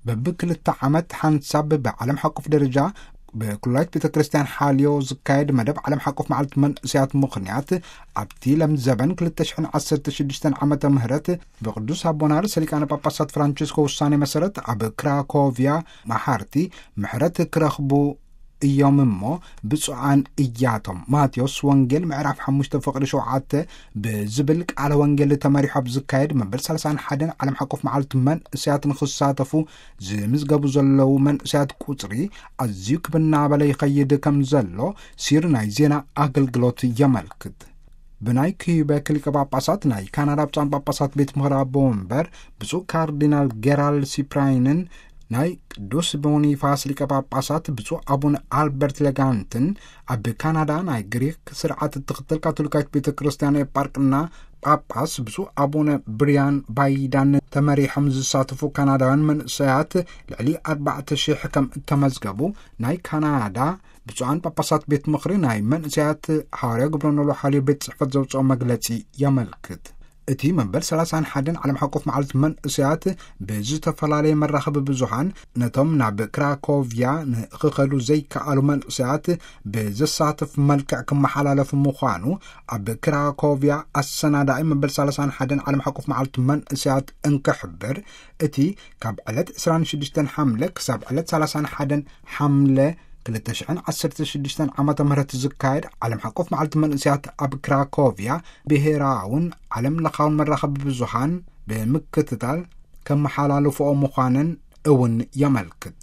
በብክልተ ዓመት ሓንሳብ ብዓለም ሓቆፍ ደረጃ ብኩላይት ቤተ ክርስቲያን ሓልዮ ዝካየድ መደብ ዓለም ሓቆፍ መዓልቲ መንእሰያት ምኽንያት፣ ኣብቲ ለምዘበን ክልተ ሽሕን ዓሰርተ ሽዱሽተን ዓመተ ምህረት ብቅዱስ ኣቦና ርእሰ ሊቃነ ጳጳሳት ፍራንቸስኮ ውሳኔ መሰረት፣ ኣብ ክራኮቪያ መሓርቲ ምሕረት ክረኽቡ እዮም እሞ ብፁዓን እያቶም። ማቴዎስ ወንጌል ምዕራፍ ሓሙሽተ ፍቕዲ ሸውዓተ ብዝብል ቃለ ወንጌል ተመሪሑ ኣብ ዝካየድ መበል ሰላሳን ሓደን ዓለም ሓቆፍ መዓልቲ መንእሰያት ንኽሳተፉ ዝምዝገቡ ዘለዉ መንእሰያት ቁጽሪ ኣዝዩ ክብ እናበለ ይኸይድ ከም ዘሎ ሲር ናይ ዜና ኣገልግሎት የመልክት። ብናይ ኪዩበክ ሊቀ ጳጳሳት ናይ ካናዳ ብፁዓን ጳጳሳት ቤት ምኽሪ ኣቦ ወንበር ብፁዕ ካርዲናል ጌራልድ ሲፕራይንን ናይ ቅዱስ ቦኒፋስ ሊቀ ጳጳሳት ብፁዕ ኣቡነ ኣልበርት ሌጋንትን፣ ኣብ ካናዳ ናይ ግሪክ ስርዓት እትኽተል ካቶሊካዊት ቤተ ክርስቲያን ኤጳርቅና ጳጳስ ብፁዕ ኣቡነ ብሪያን ባይዳን ተመሪሖም ዝሳተፉ ካናዳውያን መንእሰያት ልዕሊ ኣርባዕተ ሽሕ ከም እተመዝገቡ ናይ ካናዳ ብፁዓን ጳጳሳት ቤት ምኽሪ ናይ መንእሰያት ሓዋርያ ግብረ ኖሎ ሓልዮ ቤት ጽሕፈት ዘውፅኦ መግለጺ የመልክት። እቲ መበል ሰላሳን ሓደን ዓለም ሓቆፍ መዓልቲ መንእሰያት ብዝተፈላለየ መራኸቢ ብዙሃን ነቶም ናብ ክራኮቪያ ንኽኸዱ ዘይከኣሉ መንእሰያት ብዘሳትፍ መልክዕ ክመሓላለፍ ምዃኑ ኣብ ክራኮቪያ ኣሰናዳኢ መበል ሰላሳን ሓደን ዓለም ሓቆፍ መዓልቲ መንእሰያት እንክሕብር፣ እቲ ካብ ዕለት ዕስራን ሽዱሽተን ሓምለ ክሳብ ዕለት ሰላሳን ሓደን ሓምለ ክልተ ሽሕን ዓሰርተ ሽዱሽተን ዓመተ ምህረት ዝካየድ ዓለም ሓቆፍ መዓልቲ መንእሰያት ኣብ ክራኮቪያ ብሄራውን ዓለም ለኻውን መራኸቢ ብዙሃን ብምክትታል ከመሓላልፍኦ ምዃነን እውን የመልክት።